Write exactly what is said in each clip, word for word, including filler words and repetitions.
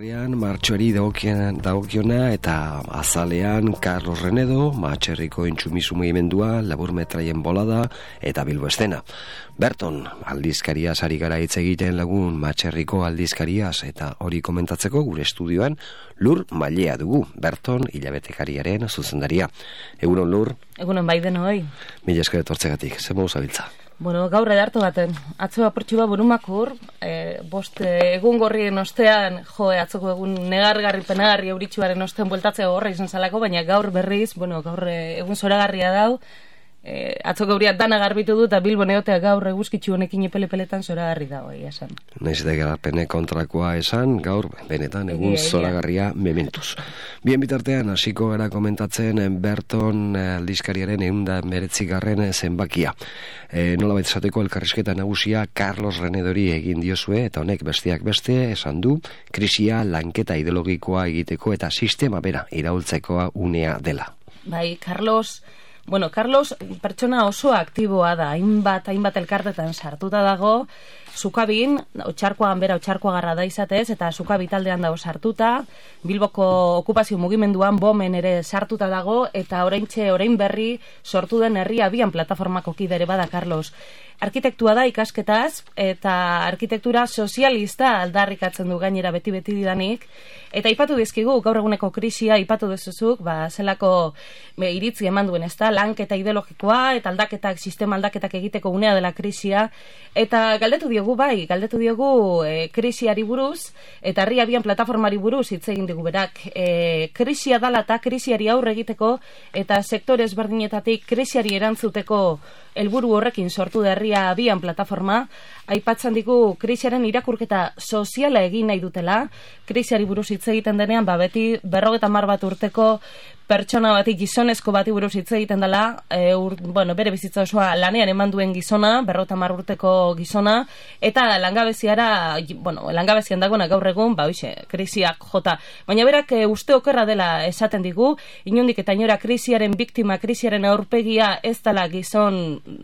berrian martxoari dagokiona eta azalean Carlos Renedo, Matxerriko Intsumisu Mugimendua, Labur Metraien Bolada eta Bilbo Eszena. Berton, aldizkariaz ari gara hitz egiten lagun Matxerriko aldizkariaz eta hori komentatzeko gure estudioan Lur Mailea dugu, Berton hilabetekariaren zuzendaria. Egunon Lur? Egunon bai denoi. Mila esker etortzegatik, zer modu zabiltza? Bueno, gaur edartu baten, atzo apurtxu bat burumakur, e, bost e, egun gorrien ostean, jo, atzoko egun negargarri, penagarri, euritxuaren ostean bueltatzea horra izan zalako, baina gaur berriz, bueno, gaur e, egun zoragarria dau, e, atzoko euriak dana garbitu du, eta Bilbo neotea gaur eguzkitzu honekin epele-peletan zoragarri dago, egia esan. Naiz eta garapene kontrakoa esan, gaur, benetan, egun zoragarria mementuz. Bien bitartean, hasiko gara komentatzen Berton aldizkariaren ehunda meretzigarren zenbakia. E, nola baita esateko elkarrizketa nagusia Carlos Renedori egin diozue, eta honek besteak beste esan du, krisia lanketa ideologikoa egiteko eta sistema bera iraultzekoa unea dela. Bai, Carlos... Bueno, Carlos pertsona oso aktiboa da, hainbat, hainbat elkartetan sartuta dago, Sukabin, otxarkoan bera otxarkoagarra da izatez, eta Sukabi taldean dago sartuta, Bilboko okupazio mugimenduan bomen ere sartuta dago, eta oraintxe, orain berri sortu den herri abian plataformako kidere bada Carlos. Arkitektua da ikasketaz, eta arkitektura sozialista aldarrikatzen du gainera beti-beti didanik, eta ipatu dizkigu, gaur eguneko krisia ipatu dezuzuk, ba, zelako be, iritzi eman duen, ez da, lanketa ideologikoa, eta aldaketak, sistema aldaketak egiteko unea dela krisia, eta galdetu diogu bai, galdetu diogu e, krisiari buruz, eta herri abian plataformari buruz hitz egin digu berak, e, krisia dala eta krisiari aurre egiteko, eta sektore ezberdinetatik krisiari erantzuteko helburu horrekin sortu da herria abian plataforma, aipatzen digu krisiaren irakurketa soziala egin nahi dutela, krisiari buruz hitz egiten denean, ba beti berrogeta hamar bat urteko pertsona bati, gizonezko bati buruz hitz egiten dela, e, ur, bueno, bere bizitza osoa lanean eman duen gizona, berrogeta hamar urteko gizona, eta langabeziara, bueno, langabezian dagoena gaur egun, ba hoxe, krisiak jota. Baina berak e, uste okerra dela esaten digu, inondik eta inora krisiaren biktima, krisiaren aurpegia ez dela gizon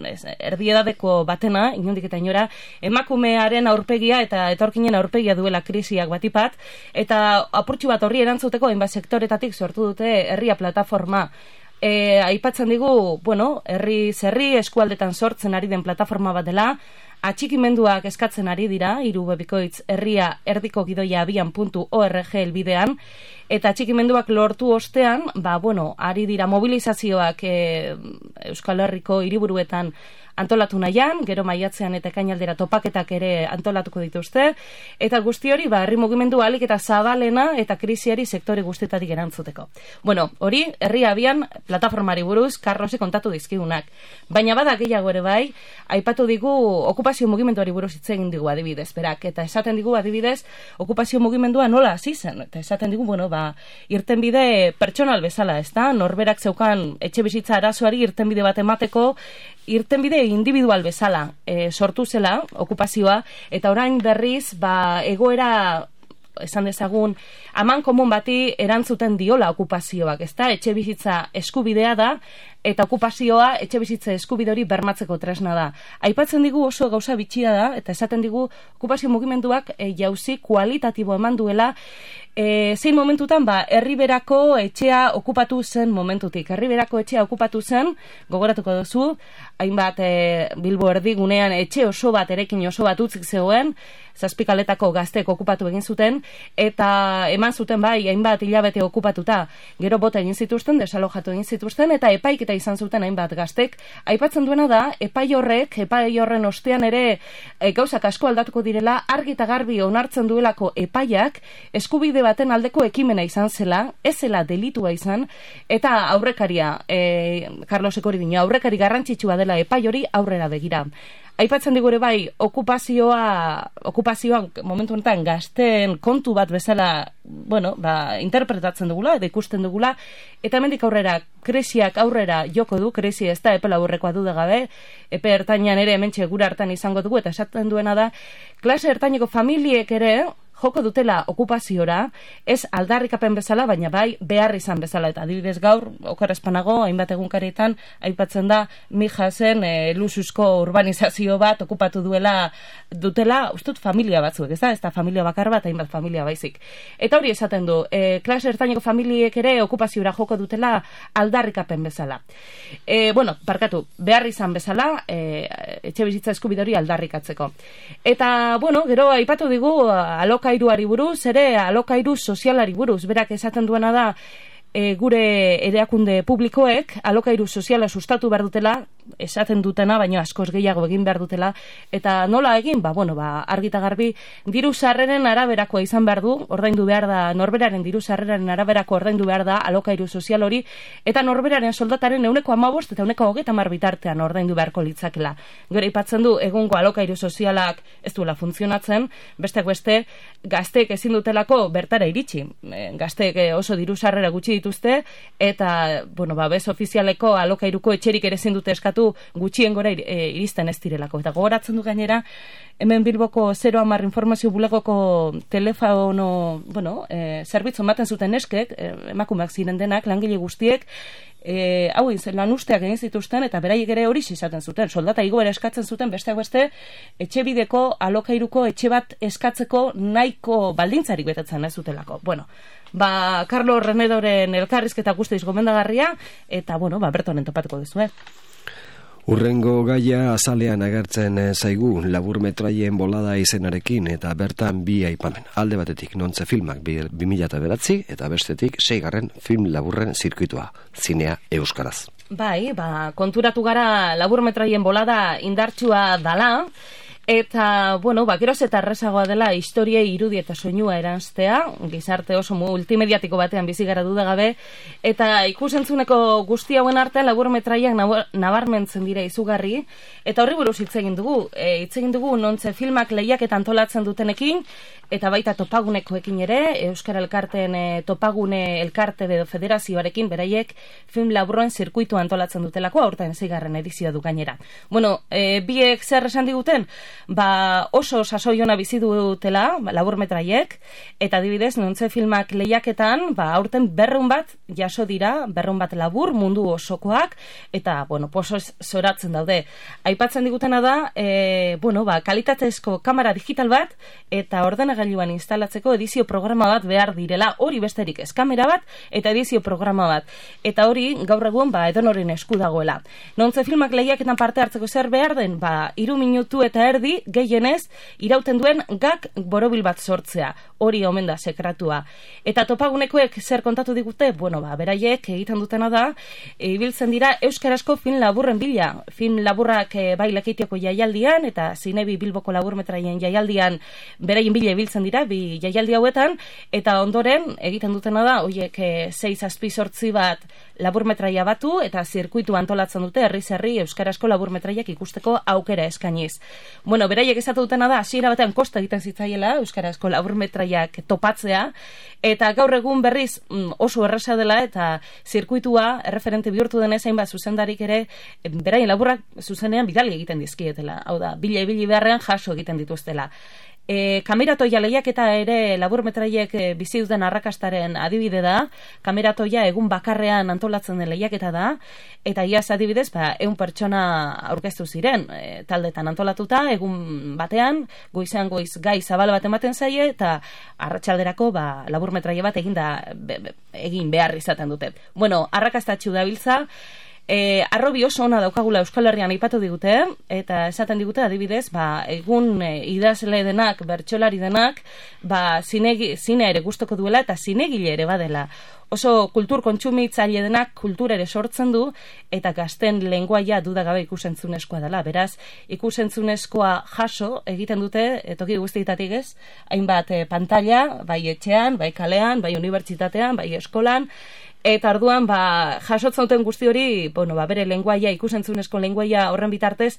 ez, erdiedadeko batena, inondik eta inora, emakumearen aurpegia eta etorkinen aurpegia duela krisiak batipat, eta apurtxu bat horri erantzuteko hainbat sektoretatik sortu dute herria plataforma. E, aipatzen digu, bueno, herri zerri eskualdetan sortzen ari den plataforma bat dela, atxikimenduak eskatzen ari dira, hiru bebikoitz herria erdiko gidoia abian puntu org elbidean, eta atxikimenduak lortu ostean, ba, bueno, ari dira mobilizazioak e, Euskal Herriko hiriburuetan antolatu nahian, gero maiatzean eta ekainaldera topaketak ere antolatuko dituzte, eta guzti hori, ba, herri mugimendu ahalik eta zabalena eta krisiari sektore guztietatik erantzuteko. Bueno, hori, herri abian plataformari buruz, Carlosi kontatu dizkigunak. Baina bada gehiago ere bai, aipatu digu okupazio mugimenduari buruz hitz egin digu adibidez, berak, eta esaten digu adibidez, okupazio mugimendua nola hasi zen, eta esaten digu, bueno, ba, irtenbide pertsonal bezala, ez da, norberak zeukan etxe bizitza arazoari irtenbide bat emateko, irtenbide individual bezala e, sortu zela okupazioa, eta orain berriz ba, egoera esan dezagun aman komun bati erantzuten diola okupazioak, ezta? Etxe bizitza eskubidea da, eta okupazioa etxe bizitza eskubide hori bermatzeko tresna da. Aipatzen digu oso gauza bitxia da, eta esaten digu okupazio mugimenduak e, jauzi kualitatibo eman duela, e, zein momentutan, ba, herriberako etxea okupatu zen momentutik. Herriberako etxea okupatu zen, gogoratuko duzu, hainbat e, Bilbo erdigunean etxe oso bat, erekin oso bat utzik zegoen, zazpikaletako gaztek okupatu egin zuten, eta eman zuten bai, hainbat hilabete okupatuta, gero bota egin zituzten, desalojatu egin zituzten, eta epaiketa izan zuten hainbat gaztek. Aipatzen duena da, epai horrek, epai horren ostean ere e, gauzak asko aldatuko direla, argi eta garbi onartzen duelako epaiak, eskubide baten aldeko ekimena izan zela, ez zela delitua izan, eta aurrekaria, e, Carlosek hori dino, aurrekari garrantzitsua dela epai hori aurrera begira. Aipatzen digure bai, okupazioa, okupazioan momentu honetan gazten kontu bat bezala, bueno, ba, interpretatzen dugula, edo ikusten dugula, eta hemendik aurrera, krisiak aurrera joko du, krisi ez da epela aurrekoa duda gabe, epe ertainan ere hementxe gura hartan izango dugu, eta esaten duena da, klase ertaineko familiek ere, joko dutela okupaziora, ez aldarrikapen bezala, baina bai behar izan bezala, eta adibidez gaur, okerrezpanago, hainbat egunkarietan, aipatzen da, Mijasen e, lusuzko urbanizazio bat okupatu duela, dutela, ustut familia batzuk, ez da, ez da familia bakar bat, hainbat familia baizik. Eta hori esaten du, e, klase ertaineko familiek ere okupaziora joko dutela aldarrikapen bezala. E, bueno, barkatu, behar izan bezala, e, etxe bizitza eskubide hori aldarrikatzeko. Eta, bueno, gero aipatu digu alokairuari buruz, ere alokairu sozialari buruz, berak esaten duena da, e, gure erakunde publikoek alokairu soziala sustatu behar dutela, esaten dutena, baina askoz gehiago egin behar dutela, eta nola egin, ba, bueno, ba, argita garbi, diru sarreren araberakoa izan behar du, ordaindu behar da, norberaren diru sarreren araberako ordaindu behar da alokairu sozial hori, eta norberaren soldataren euneko hamabost eta euneko hogeita hamar bitartean ordaindu beharko litzakela. Gero aipatzen du, egungo alokairu sozialak ez duela funtzionatzen, besteak beste, gazteek ezin dutelako bertara iritsi. E, gazteek oso diru sarrera gutxi dituzte, eta, bueno, ba, bez ofizialeko alokairuko etxerik ere ezin dute eskatu gutxien gora e, iristen ez direlako. Eta gogoratzen du gainera, hemen Bilboko zero hamar informazio bulegoko telefono, bueno, e, zerbitzu ematen zuten neskek, e, emakumeak ziren denak, langile guztiek, E, hau lan usteak egin zituzten, eta beraiek ere hori izaten zuten, soldata igoera eskatzen zuten, besteak beste, etxe bideko alokairuko etxe bat eskatzeko nahiko baldintzarik betetzen ez zutelako. Bueno, ba, Carlos Renedoren elkarrizketa guztiz gomendagarria, eta, bueno, ba, bertonen topatuko duzu, eh? Urrengo gaia azalean agertzen zaigu laburmetraien bolada izenarekin, eta bertan bi aipamen. Alde batetik nontze filmak bi mila bederatzi eta bestetik seigarren film laburren zirkuitua, zinea euskaraz. Bai, ba, konturatu gara laburmetraien bolada indartsua dala, eta, bueno, ba, geroz eta errezagoa dela historiei irudi eta soinua eranztea, gizarte oso multimediatiko batean bizi gara dudagabe, eta ikusentzuneko guzti hauen artean laburmetraiak nabarmentzen dira izugarri, eta horri buruz hitz egin dugu, e, hitz egin dugu nontze filmak lehiak eta antolatzen dutenekin, eta baita topagunekoekin ere, Euskara Elkarteen e, topagune elkarte edo federazioarekin, beraiek film laburroen zirkuitu antolatzen dutelako, aurten zigarren edizioa du gainera. Bueno, e, biek zer esan diguten? Ba, oso sasoiona bizi dutela, ba, laburmetraiek, eta adibidez, nontze filmak lehiaketan, ba, aurten berrun bat jaso dira, berrun bat labur, mundu osokoak, eta, bueno, poso zoratzen daude. Aipatzen digutena da, e, bueno, ba, kalitatezko kamera digital bat, eta ordenagailuan instalatzeko edizio programa bat behar direla, hori besterik ez, kamera bat, eta edizio programa bat. Eta hori, gaur egun, ba, edonoren esku dagoela. Nontze filmak lehiaketan parte hartzeko zer behar den, ba, iru minutu eta erdi, gehienez, irauten duen gak borobil bat sortzea. Hori omen da sekratua. Eta topagunekoek zer kontatu digute? Bueno, ba, beraiek egiten dutena da, ibiltzen dira euskarazko film laburren bila. Film laburrak e, bai Lekeitioko jaialdian, eta Zinebi Bilboko laburmetraien jaialdian beraien bila ibiltzen dira, bi jaialdi hauetan, eta ondoren egiten dutena da, oiek e, sei zazpi sortzi bat laburmetraia batu, eta zirkuitu antolatzen dute, herriz herri euskarazko laburmetraiak ikusteko aukera eskainiz. Bueno, beraiek esatu dutena da, hasiera batean kosta egiten zitzaiela euskarazko laburmetraiak topatzea, eta gaur egun berriz oso erresa dela, eta zirkuitua erreferente bihurtu denez hainbat zuzendarik ere, beraien laburrak zuzenean bidali egiten dizkietela. Hau da, bila ibili beharrean jaso egiten dituztela. E, kameratoia lehiaketa ere laburmetraiek e, bizi duten arrakastaren adibide da. Kameratoia egun bakarrean antolatzen den lehiaketa da, eta iaz adibidez, ba, eun pertsona aurkeztu ziren, e, taldetan antolatuta, egun batean, goizean goiz gai zabal bat ematen zaie, eta arratsalderako ba, laburmetraia bat egin, da, be, be, egin behar izaten dute. Bueno, arrakastatxu dabiltza, E, arrobi oso ona daukagula Euskal Herrian aipatu digute, eta esaten digute adibidez, ba, egun e, idazle denak, bertsolari denak, ba, zinegi, zine ere gustoko duela eta zinegile ere badela. Oso kultur kontsumitzaile denak kultura ere sortzen du, eta gazten lenguaia dudagabe ikusentzunezkoa dela. Beraz, ikusentzunezkoa jaso egiten dute, toki guztietatik ez, hainbat e, pantalla, bai etxean, bai kalean, bai unibertsitatean, bai eskolan, eta orduan, ba, jasotzen duten guzti hori, bueno, ba, bere lenguaia, ikusentzunezko lenguaia horren bitartez,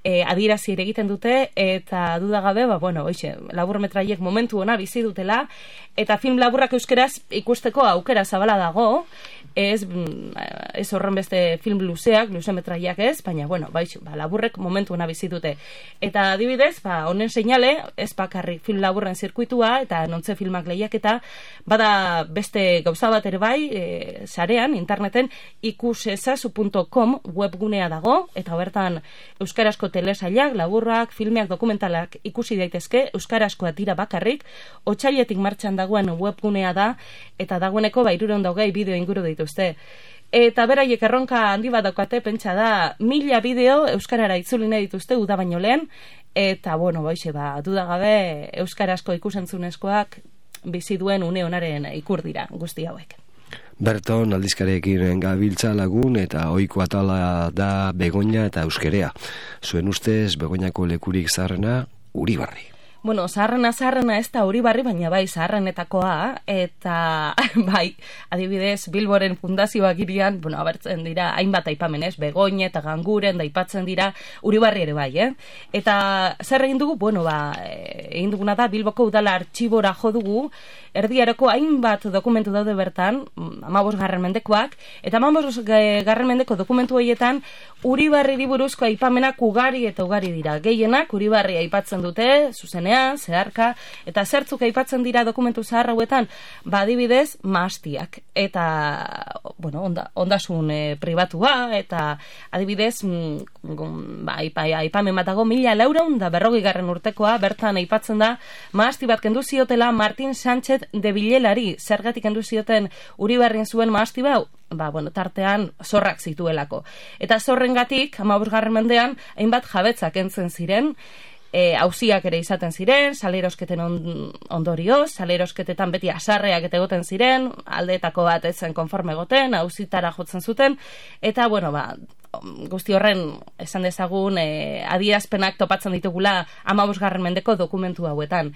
e, adierazi ere egiten dute, eta dudagabe, ba, bueno, oixe, laburmetraiek momentu ona bizi dutela, eta film laburrak euskeraz ikusteko aukera zabala dago, ez, ez horren beste film luzeak, luzemetraiak ez, baina, bueno, baixo, ba, laburrek momentu hona bizitute. Eta adibidez, ba, honen seinale, ez bakarrik film laburren zirkuitua, eta nontze filmak lehiaketa, bada beste gauza bat ere bai, e, sarean, interneten, ikusezazu puntu com webgunea dago, eta bertan euskarazko telesailak, laburrak, filmeak, dokumentalak ikusi daitezke, euskarazkoa tira bakarrik, otsailetik martxan dagoen webgunea da, eta dagoeneko bairuron daugei bideo inguru dituzte. Eta beraiek erronka handi bat daukate, pentsa da, mila bideo euskarara itzuli nahi dituzte uda baino lehen, eta, bueno, baixe, ba, dudagabe euskarazko ikusentzunezkoak bizi duen une honaren ikur dira guzti hauek. Berton aldizkariekin gabiltza lagun eta ohiko atala da Begoña eta euskerea. Zuen ustez Begoñako lekurik zaharrena Uribarri. Bueno, zaharrena zaharrena ez da Uribarri, baina bai zaharrenetakoa, eta bai, adibidez, Bilboren fundazioak irian, bueno, abertzen dira, hainbat aipamen ez, Begoña eta Ganguren da aipatzen dira, Uribarri ere bai, eh? Eta zer egin dugu, bueno, ba, egin duguna da, Bilboko udala artxibora jo dugu, erdiaroko hainbat dokumentu daude bertan, hamabost garren mendekoak, eta hamabost garren mendeko dokumentu horietan, Uribarri buruzko aipamenak ugari eta ugari dira. Gehienak Uribarri aipatzen dute, zuzenean, zeharka, eta zertzuk aipatzen dira dokumentu zahar hauetan, ba adibidez, mahastiak. Eta, bueno, onda, ondasun e, pribatua, eta adibidez, mm, ba, aipa, aipamen bat dago, mila lauraun da berrogi garren urtekoa, bertan aipatzen da, mahasti bat kendu ziotela Martin Sánchez de Vilelari, zergatik kendu zioten Uribarrin zuen mahasti bau, ba, bueno, tartean zorrak zituelako. Eta zorrengatik, hamabosgarren mendean, hainbat jabetzak entzen ziren, e, auziak ere izaten ziren, salerosketen on, ondorioz, salerosketetan beti asarreak eta egoten ziren, aldeetako bat etzen konforme egoten, auzitara jotzen zuten, eta, bueno, ba, guzti horren esan dezagun e, adierazpenak topatzen ditugula hamabosgarren mendeko dokumentu hauetan.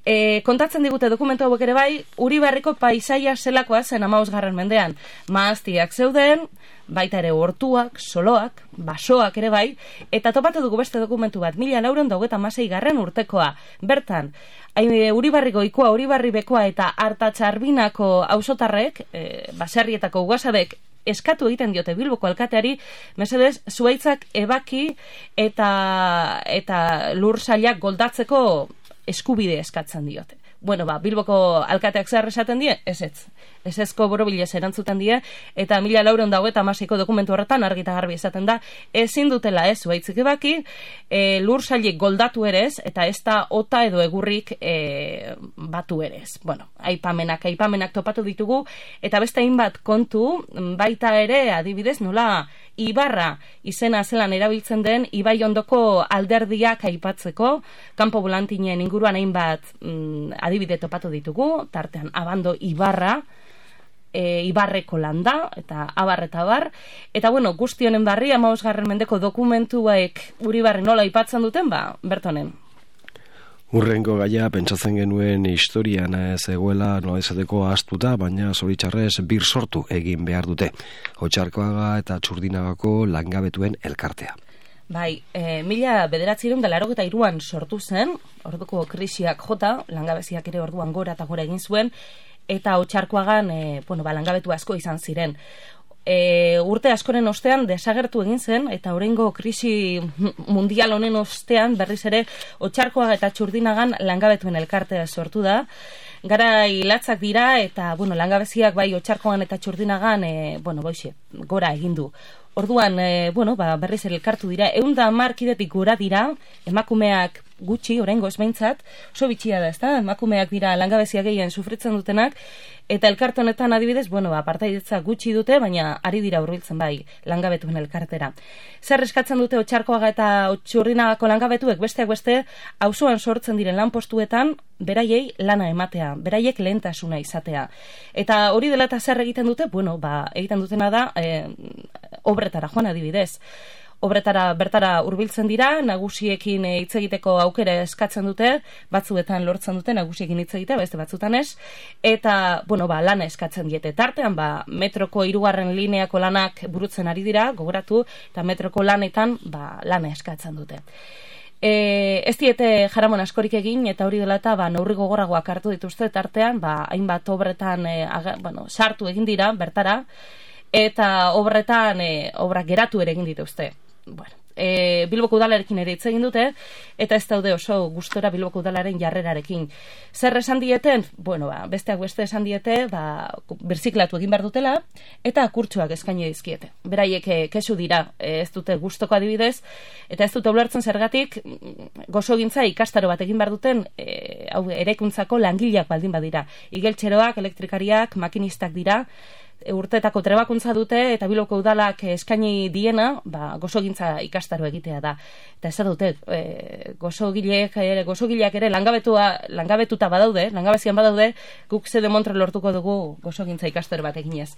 E, kontatzen digute dokumentu hauek ere bai, Uribarriko paisaia zelakoa zen hamabosgarren mendean. Mahastiak zeuden, baita ere hortuak, soloak, basoak ere bai, eta topatu dugu beste dokumentu bat, mila lauron daugeta masei garren urtekoa. Bertan, Uribarriko ikua, Uribarri bekoa eta Artatxarbinako auzotarrek, e, baserrietako ugasabek, eskatu egiten diote Bilboko alkateari, mesedez, zuaitzak ebaki eta, eta lur sailak goldatzeko eskubide eskatzen diote. Bueno, ba, Bilboko alkateak zer esaten die? Ez ez. Ez ezko borobilez erantzuten die, eta mila lauron dago eta masiko dokumentu horretan argita garbi esaten da, ezin dutela ez zuaitzik ebaki, e, lur sailik goldatu ere ez, eta ez da ota edo egurrik e, batu ere ez. Bueno, aipamenak, aipamenak topatu ditugu, eta beste hainbat kontu, baita ere, adibidez, nola Ibarra izena zelan erabiltzen den Ibai ondoko alderdiak aipatzeko, kanpo volantinen inguruan hainbat mm, adibide topatu ditugu, tartean Abando Ibarra, e, Ibarreko landa, eta abar eta abar, eta bueno, guzti honen barri, hamabosgarren mendeko dokumentuek Uribarri nola aipatzen duten, ba, bertonen. Urrengo gaia pentsatzen genuen historian zegoela nola izateko ahaztuta, baina zoritxarrez bir sortu egin behar dute. Otxarkoaga eta Txurdinagako langabetuen elkartea. Bai, e, mila bederatziehun eta laurogeita hiruan sortu zen, orduko krisiak jota, langabeziak ere orduan gora eta gora egin zuen, eta Otxarkoagan e, bueno, ba, langabetu asko izan ziren. E, urte askoren ostean desagertu egin zen, eta oraingo krisi mundial honen ostean berriz ere Otxarkoaga eta Txurdinagan langabetuen elkartea sortu da. Gara hilatzak dira, eta bueno, langabeziak bai Otxarkoagan eta Txurdinagan e, bueno, boixe, gora egin du. Orduan, e, bueno, ba, berriz ere elkartu dira, ehun eta hamar kidetik gora dira, emakumeak gutxi, oraingoz behintzat, oso bitxia da, ezta? Emakumeak dira langabezia gehien sufritzen dutenak, eta elkarte honetan adibidez, bueno, ba, partaidetza gutxi dute, baina ari dira hurbiltzen bai langabetuen elkartera. Zer eskatzen dute Otxarkoaga eta Txurdinagako langabetuek besteak beste, auzoan sortzen diren lanpostuetan, beraiei lana ematea, beraiek lehentasuna izatea. Eta hori dela eta zer egiten dute, bueno, ba, egiten dutena da, e, obretara joan adibidez. Obretara bertara hurbiltzen dira, nagusiekin hitz egiteko aukera eskatzen dute, batzuetan lortzen dute nagusiekin hitz egitea, beste batzuetan ez, eta, bueno, ba, lana eskatzen diete. Tartean, ba, metroko hirugarren lineako lanak burutzen ari dira, gogoratu, eta metroko lanetan, ba, lana eskatzen dute. E, ez diete jaramon askorik egin, eta hori dela eta ba, neurri gogorragoak hartu dituzte tartean, ba, hainbat obretan e, aga, bueno, sartu egin dira bertara, eta obretan e, obrak geratu ere egin dituzte. Bueno, e, Bilboko udalarekin ere hitz egin dute, eta ez daude oso gustora Bilboko udalaren jarrerarekin. Zer esan dieten? Bueno, ba, besteak beste esan diete, ba, birziklatu egin behar dutela, eta kurtsuak eskaini dizkiete. Beraiek e, kesu dira, e, ez dute gustoko adibidez, eta ez dute ulertzen zergatik gosogintza ikastaro bat egin behar duten e, hau eraikuntzako langileak baldin badira. Igeltxeroak, elektrikariak, makinistak dira, urteetako trebakuntza dute, eta Bilboko udalak eskaini diena, ba, gosogintza ikastaro egitea da. Eta ez dute, e, gosogileak ere, gosogileak ere langabetua, langabetuta badaude, langabezian badaude, guk ze demontre lortuko dugu gosogintza ikastaro bat eginez.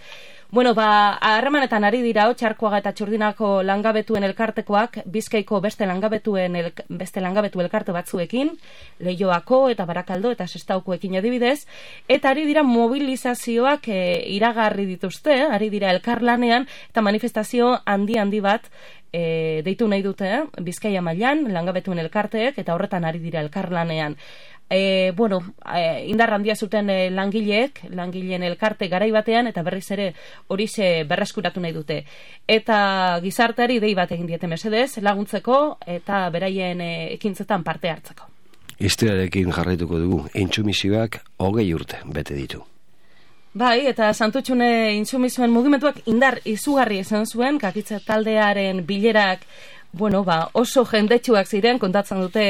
Bueno, ba, harremanetan ari dira, Otxarkoaga eta Txurdinako langabetuen elkartekoak, Bizkaiko beste langabetuen el, beste langabetu elkarte batzuekin, Leioako eta Barakaldo eta Sestaukoekin adibidez, eta ari dira mobilizazioak e, iragarri dituzte, ari dira elkarlanean, eta manifestazio handi-handi bat e, deitu nahi dute, Bizkaia mailan langabetuen elkarteek, eta horretan ari dira elkarlanean. E, bueno, e, indar handia zuten e, langileek, langileen elkarte garai batean, eta berriz ere horixe berreskuratu nahi dute. Eta gizarteari dei bat egin diete mesedez, laguntzeko eta beraien e, ekintzetan parte hartzeko. Historiarekin jarraituko dugu, intsumisioak hogei urte bete ditu. Bai, eta Santutxune intsumisoen mugimenduak indar izugarri izan zuen, Kakitza taldearen bilerak, bueno, ba, oso jendetsuak ziren, kontatzen dute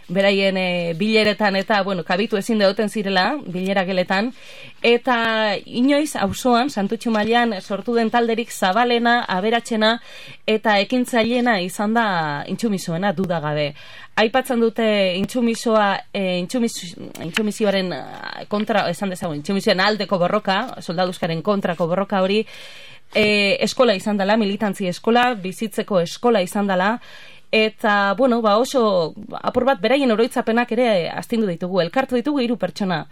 beraien e, bileretan, eta, bueno, kabitu ezin deuten zirela, bilera geletan, eta inoiz, auzoan, Santutxu mailan sortu den talderik zabalena, aberatsena, eta ekintzailena izan da intsumisoena, dudagabe. Aipatzen dute intsumisoa, e, intsumis, intsumisioaren kontra, esan dezagun, intsumisioaren aldeko borroka, soldaduzkaren kontrako borroka hori, e, eskola izan dela, militantzia eskola, bizitzeko eskola izan dela, eta, bueno, ba oso, apur bat, beraien oroitzapenak ere astindu ditugu, elkartu ditugu hiru pertsona.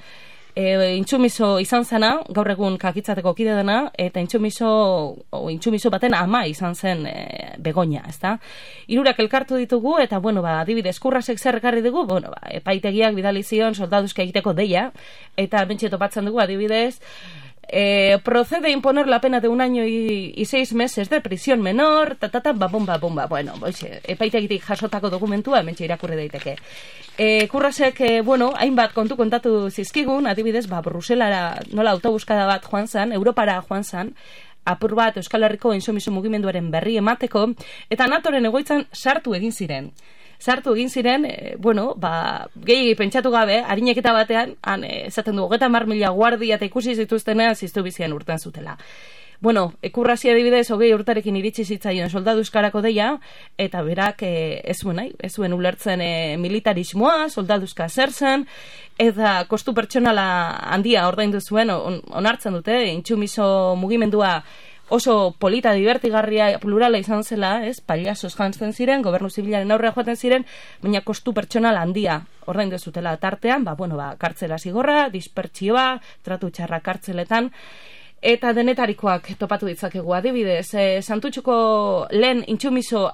E, intsumiso izan zena, gaur egun Kakitzateko kide dena, eta intsumiso, o, intsumiso baten ama izan zen e, Begoña, ezta? Hirurak elkartu ditugu, eta, bueno, ba, adibidez, Kurrasek zer ekarri dugu, bueno, ba, epaitegiak bidali zion soldaduzka egiteko deia, eta bentsi topatzen dugu, adibidez, Eh, procede a imponer la pena de un año y, y seis meses de prisión menor, tatata, ba, bomba, bomba. Bueno, oixe, epaitegitik jasotako dokumentua, hementxe irakurri daiteke. Eh, Kurrasek, eh, bueno, hainbat kontu kontatu zizkigun, adibidez, ba, Bruselara nola autobuskada bat joan zan, Europara joan zan, apur bat Euskal Herriko intsumiso mugimenduaren berri emateko, eta natoren egoitzan sartu egin ziren. Sartu egin ziren, e, bueno, ba, gehi pentsatu gabe, harineketa batean, han, e, esaten du, hogeita hamar mila guardia eta ikusi zituztenean ziztu bizian urten zutela. Bueno, Kurrasi adibidez, hogei urtarekin iritsi zitzaion soldadu euskarako deia, eta berak e, ez zuen, nahi, ez zuen ulertzen e, militarismoa, soldaduzka zer zen, eta kostu pertsonala handia ordaindu zuen, on, onartzen dute, intsumiso mugimendua oso polita, divertigarria, plurala izan zela, ez, paliazoz jantzen ziren, gobernu zibilaren aurrea joaten ziren, baina kostu pertsonal handia ordaindu zutela tartean, ba, bueno, ba, kartzela zigorra, dispertsioa, tratu txarra kartzeletan, eta denetarikoak topatu ditzakegu adibidez. E, Santutxuko lehen intsumiso,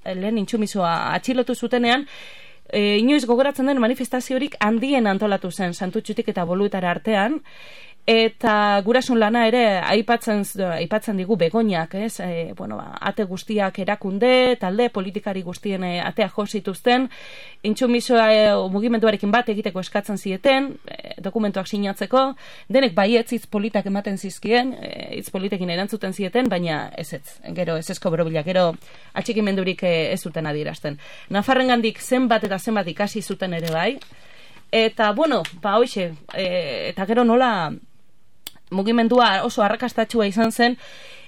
lehen intsumisoa atxilotu zutenean, e, inoiz gogoratzen den manifestaziorik handien antolatu zen Santutxutik eta Boluetara artean, eta gurasun lana ere aipatzen aipatzen digu Begoñak, ez? E, bueno, ba, ate guztiak erakunde, talde politikari guztien e, atea jo zituzten, intsumisoa e, mugimenduarekin bat egiteko eskatzen zieten, e, dokumentuak sinatzeko, denek baietz hitz politak ematen zizkien, e, hitz politekin erantzuten zieten, baina ez ez, gero ez ezko borobila, gero atxikimendurik e, ez zuten adierazten. Nafarrengandik zenbat eta zenbat ikasi zuten ere bai, eta bueno, ba hoixe, e, eta gero nola mugimendua oso arrakastatsua izan zen,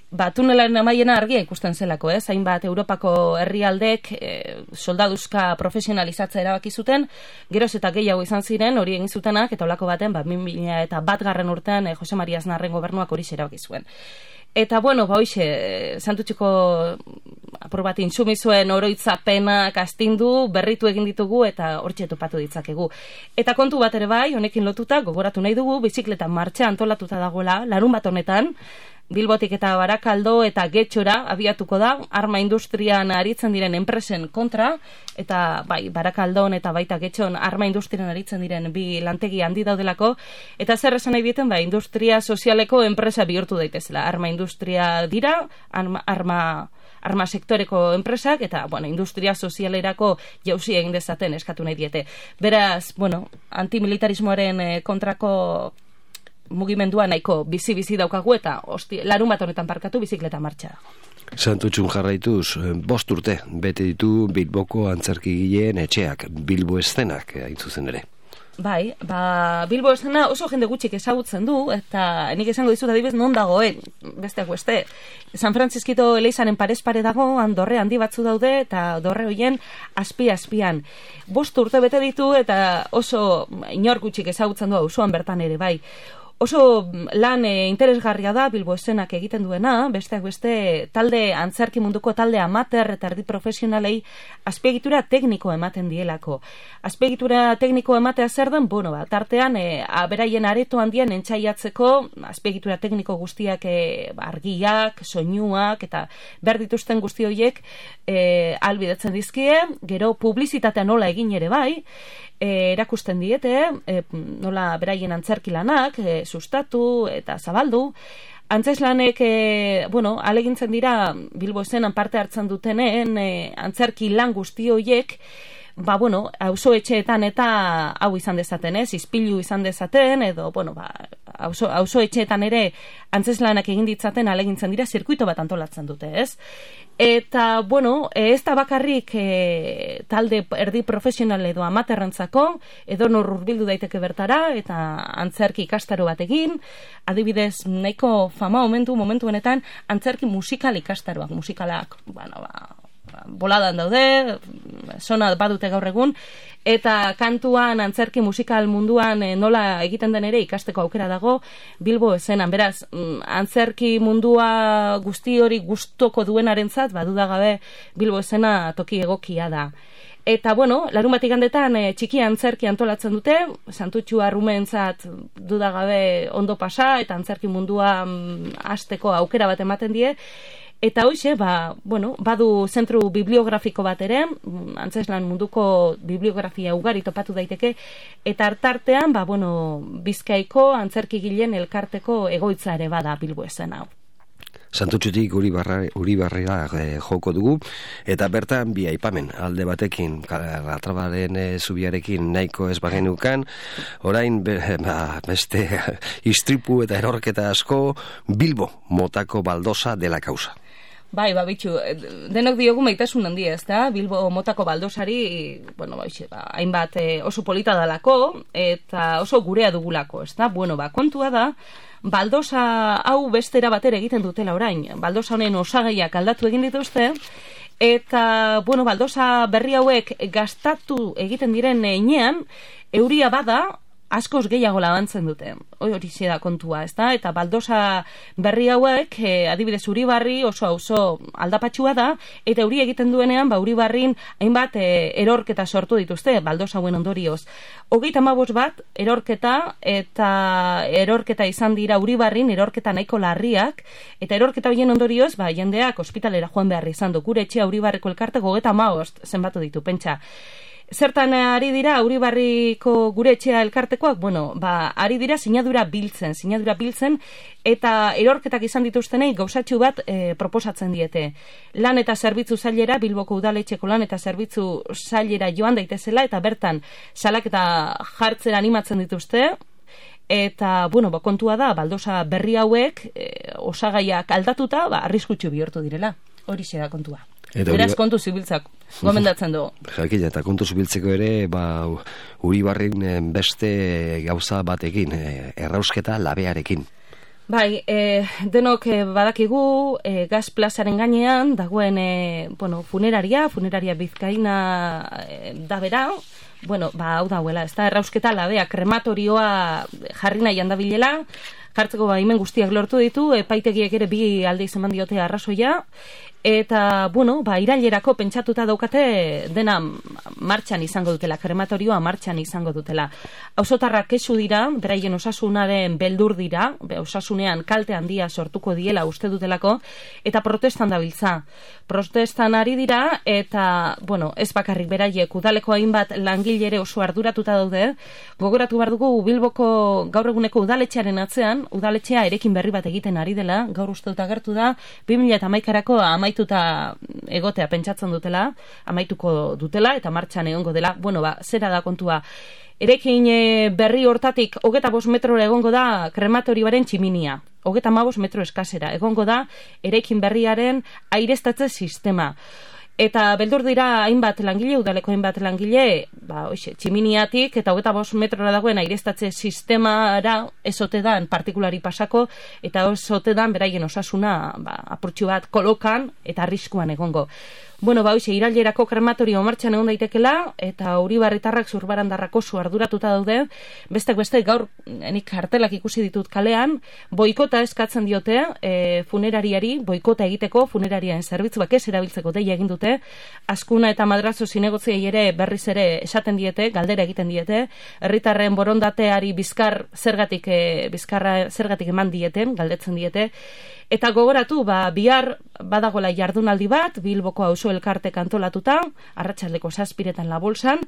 ba, tunelaren amaiena argia ikusten zelako, ez? Hainbat Europako herrialdek e, soldaduzka profesionalizatzea erabaki zuten, geroz eta gehiago izan ziren, hori egin zutenak, eta olako baten, ba, bi mila eta bat garren urtean, e, Jose Maria Aznarren gobernuak hori erabaki zuen. Eta, bueno, ba, hoixe, Santutxuko apur bat intsumisoen oroitzapenak astindu, berritu egin ditugu, eta hortxe topatu ditzakegu. Eta kontu bat ere bai, honekin lotuta, gogoratu nahi dugu, bizikleta martxa antolatuta dagoela, larun bat honetan, Bilbotik eta Barakaldo eta Getxora abiatuko da, arma industrian aritzen diren enpresen kontra, eta bai, Barakaldon eta baita Getxon arma industrian aritzen diren bi lantegi handi daudelako, eta zer esan nahi dieten, bai, industria sozialeko enpresa bihurtu daitezela. Arma industria dira, arma, arma, arma sektoreko enpresak, eta, bueno, industria sozialerako jauzi egin dezaten eskatu nahi diete. Beraz, bueno, antimilitarismoaren kontrako mugimendua nahiko bizi-bizi daukagu eta hosti, larun bat honetan parkatu bizikleta martxa dago. Santutxun jarraituz, bost urte, bete ditu Bilboko antzerkigileen etxeak, Bilbo eszenak, hain zuzen ere. Bai, ba, Bilbo escena oso jende gutxik ezagutzen du, eta nik esango dizut adibidez non dagoen, besteak beste. San Francisco Elizaren parez pare dago, dorre handi batzu daude, eta dorre hoien azpi-azpian. Bost urte bete ditu, eta oso inor gutxik ezagutzen du auzoan bertan ere, bai. Oso lan e, interesgarria da Bilbo eszenak egiten duena, besteak beste talde antzerki munduko talde amateur eta erdi profesionalei azpiegitura tekniko ematen dielako. Azpiegitura tekniko ematea zer den, bueno, ba, tartean e, aberaien areto handian entzaiatzeko azpiegitura tekniko guztiak e, argiak, soinuak eta behar dituzten guzti horiek e, albidetzen dizkie, gero publizitatea nola egin ere bai, E, erakusten diete, e, nola beraien antzerki lanak, e, sustatu eta zabaldu. Antzeslanek, e, bueno, alegintzen dira Bilbo eszenan parte hartzen dutenen e, antzerki lan guzti horiek, ba, bueno, auzo etxeetan eta hau izan dezaten, ez, izpilu izan dezaten, edo, bueno, ba, auzo, auzo etxeetan ere antzeslanak egin ditzaten alegintzen dira, zirkuito bat antolatzen dute, ez? Eta, bueno, ez da bakarrik e, talde erdi profesional edo amaterrentzako, edo nor hurbildu daiteke bertara, eta antzerki ikastaro bat egin, adibidez, nahiko fama momentu, momentu honetan, antzerki musikal ikastaroak, musikalak, bueno, ba, boladan daude, sona badute gaur egun, eta kantuan, antzerki musikal munduan e, nola egiten den ere ikasteko aukera dago Bilbo eszenan. Beraz, antzerki mundua guzti hori gustoko duenarentzat, baduda gabe Bilbo escena toki egokia da. Eta, bueno, larun bat igandetan e, txiki antzerki antolatzen dute, Santutxu arrumentzat dudagabe ondo pasa, eta antzerki mundua mm, hasteko aukera bat ematen die. Eta hoxe, ba, bueno, badu zentru bibliografiko bat ere, antzeslan munduko bibliografia ugari topatu daiteke, eta hartartean, ba, bueno, Bizkaiko antzerkigileen elkarteko egoitza ere bada Bilbo escena hau. Santutxutik Uribarrera e, joko dugu, eta bertan bi aipamen alde batekin, Latrabaren e, zubiarekin nahiko ez bagenukan, orain be, ba, beste istripu eta erorketa asko, Bilbo motako baldosa dela kausa. Bai, ba, bitxu, denok diogu maitasun handia, ez da? Bilbo motako baldosari, bueno, ba, ba, hainbat e, oso polita dalako, eta oso gurea dugulako, ez da? Bueno, ba, kontua da, baldosa hau bestera batera egiten dutela orain. Baldosa honen osagaiak aldatu egin dituzte, eta, bueno, baldosa berri hauek gastatu egiten diren heinean, euria bada, askoz gehiago labantzen dute. Hori da kontua, ezta? Eta baldosa berri hauek, e, adibidez Uribarri oso oso aldapatxua da, eta euri egiten duenean, ba Uribarrin hainbat e, erorketa sortu dituzte, baldosa hauen ondorioz. Hogeita hamabost bat erorketa, eta erorketa izan dira Uribarrin, erorketa nahiko larriak, eta erorketa horien ondorioz, ba jendeak ospitalera joan behar izan du. Gure etxea Uribarriko elkarte hogeita hamabost zenbatu ditu, pentsa. Zertan ari dira Uribarriko gure etxea elkartekoak? Bueno, ba, ari dira sinadura biltzen, sinadura biltzen, eta erorketak izan dituztenei gauzatxu bat e, proposatzen diete. Lan eta zerbitzu zailera, Bilboko udaletxeko lan eta zerbitzu zailera joan daitezela, eta bertan salaketa jartzera animatzen dituzte, eta, bueno, ba, kontua da, baldosa berri hauek, e, osagaiak aldatuta, ba, arriskutsu bihurtu direla. Horixe da kontua. Eta beraz kontu zibiltzak, gomendatzen dugu. Jakila, eta kontu zibiltzeko ere, ba, Uribarrin beste gauza batekin, errausketa labearekin. Bai, e, denok e, badakigu e, Gaz plazaren gainean dagoen e, bueno, funeraria, funeraria Bizkaina e, da bera, bueno, ba, hau dauela, ez da, errausketa labea, krematorioa jarri nahi handabilela, jartzeko baimen guztiak lortu ditu, epaitegiek ere bi alde izan diote arrazoia, Eta, bueno, ba, irailerako pentsatuta daukate dena martxan izango dutela, krematorioa martxan izango dutela. Auzotarrak kexu dira, beraien osasunaren beldur dira, osasunean kalte handia sortuko diela uste dutelako, eta protestan dabiltza. Protestan ari dira, eta, bueno, ez bakarrik beraiek, udaleko hainbat langilere oso arduratuta daude, gogoratu behar dugu Bilboko gaur eguneko udaletxearen atzean, udaletxea erekin berri bat egiten ari dela, gaur uste dut agertu da, bi mila hamaikako amaituta egotea pentsatzen dutela, amaituko dutela, eta martxan egongo dela, bueno, ba, zera da kontua. Erekin berri hortatik, hogeta bost metrora egongo da krematorioaren tximinia. Hogeta hamabost metro eskasera. Egongo da erekin berriaren aireztatze sistema. Eta beldur dira hainbat langile, udaleko hainbat langile, ba, oixe, tximiniatik eta hogeta bost metrora dagoen aireztatze sistemara ezote dan partikulari pasako, eta ezote dan beraien osasuna ba, apurtxu bat kolokan eta arriskuan egongo. Bueno, ba, hoxe, irailerako krematorio martxan egon daitekela, eta Uribarritarrak Zurbarandarrako zu arduratuta daude, bestek beste gaur, nik kartelak ikusi ditut kalean, boikota eskatzen diote, e, funerariari, boikota egiteko, funerariaren zerbitzuak ez erabiltzeko deia egin dute, Azkuna eta Madrazo zinegotziei ere berriz ere esaten diete, galdera egiten diete, herritarren borondateari bizkar zergatik, e, bizkarra zergatik eman dieten, galdetzen diete, eta gogoratu, ba, bihar badagola jardunaldi bat, Bilboko auzo elkarte kantolatuta, arratsaldeko zazpiretan la bolsan,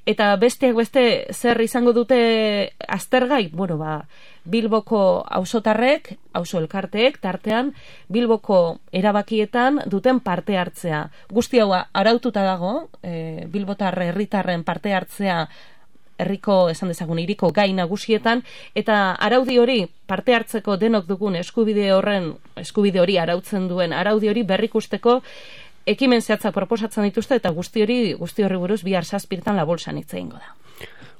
eta besteak beste zer izango dute aztergai, bueno, ba, Bilboko auzotarrek, auzo elkarteek, tartean, Bilboko erabakietan duten parte hartzea. Guzti hau araututa dago, e, Bilbotar herritarren parte hartzea herriko, esan dezagun, hiriko gai nagusietan, eta araudi hori, parte hartzeko denok dugun eskubide horren, eskubide hori arautzen duen, araudi hori berrikusteko ekimen zehatzak proposatzen dituzte, eta guzti hori, guzti horri buruz bihar zazpirtan la bolsan hitz egingo da.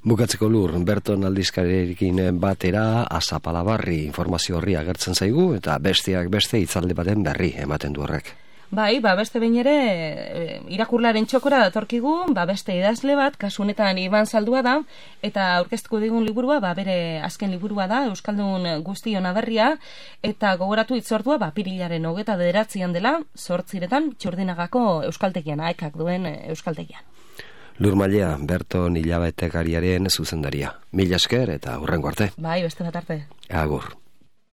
Bukatzeko Lur, Berton aldizkarirekin batera azapalabarri informazio horri agertzen zaigu, eta besteak beste hitzaldi baten berri ematen du horrek. Bai, ba, beste behin ere, e, irakurlaren txokora datorkigu, ba, beste idazle bat, kasu honetan Iban Zaldua da, eta aurkeztuko digun liburua, ba, bere azken liburua da, Euskaldun guztion aberria, eta gogoratu itzordua, ba, pirilaren hogeta bederatzian dela, zortziretan, Txurdinagako euskaltegian, aekak duen euskaltegian. Lur Mailea, Berton hilabetekariaren zuzendaria. Mila esker eta hurrengo arte. Bai, beste bat arte. Agur.